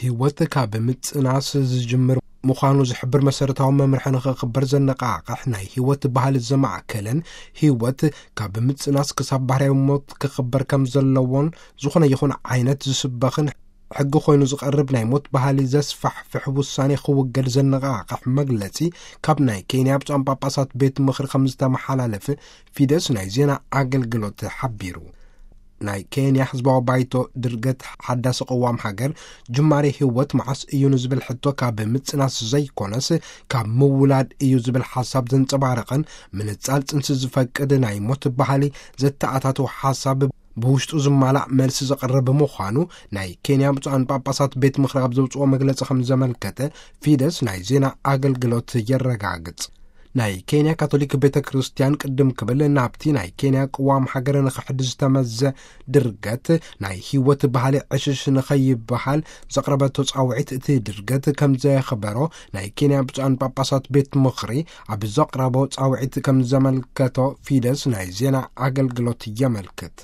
ህይወት ካብ ምጽናስ ዝጅምር ምዃኑ ዝሕብር መሰረታዊ መምርሒ ንኽኽበር ዘነቓቕሕ፣ ናይ ህይወት ባህሊ ዘማእከለን፣ ህይወት ካብ ምጽናስ ክሳብ ባህርያዊ ሞት ክኽበር ከም ዘለዎን፣ ዝኾነ ይኹን ዓይነት ዝስበኽን ሕጊ ኮይኑ ዝቐርብ ናይ ሞት ባህሊ ዘስፋሕፍሕ ውሳኔ ክውገድ ዘነቓቕሕ መግለጺ ካብ ናይ ኬንያ ብፁዓን ጳጳሳት ቤት ምኽሪ ከም ዝተመሓላለፈ ፊደስ ናይ ዜና ኣገልግሎት ሓቢሩ። ናይ ኬንያ ህዝባዊ ባይቶ ድርገት ሓዳሲ ቅዋም ሃገር፣ ጅማሬ ህይወት መዓስ እዩ ንዝብል ሕቶ ካብ ምጽናስ ዘይኮነስ ካብ ምውላድ እዩ ዝብል ሓሳብ ዘንጸባረቐን፣ ምንጻል ጽንሲ ዝፈቅድ ናይ ሞት ባህሊ ዘተኣታተው ሓሳብ ብውሽጡ ዝማላእ መልሲ ዘቕርብ ምዃኑ ናይ ኬንያ ብፁዓን ጳጳሳት ቤት ምኽሪ ኣብ ዘውፅኦ መግለጺ ከም ዘመልከተ ፊደስ ናይ ዜና ኣገልግሎት የረጋግጽ። ናይ ኬንያ ካቶሊክ ቤተ ክርስቲያን ቅድም ክብል ናብቲ ናይ ኬንያ ቅዋም ሃገር ንኽሕድ ዝተመዘ ድርገት ናይ ህይወት ባህሊ ዕሽሽ ንኸይበሃል ዘቕረበቶ ጻውዒት፣ እቲ ድርገት ከም ዘየኽበሮ ናይ ኬንያ ብፁዓን ጳጳሳት ቤት ምኽሪ ኣብ ዘቕረቦ ጻውዒት ከም ዘመልከቶ ፊደስ ናይ ዜና ኣገልግሎት የመልክት።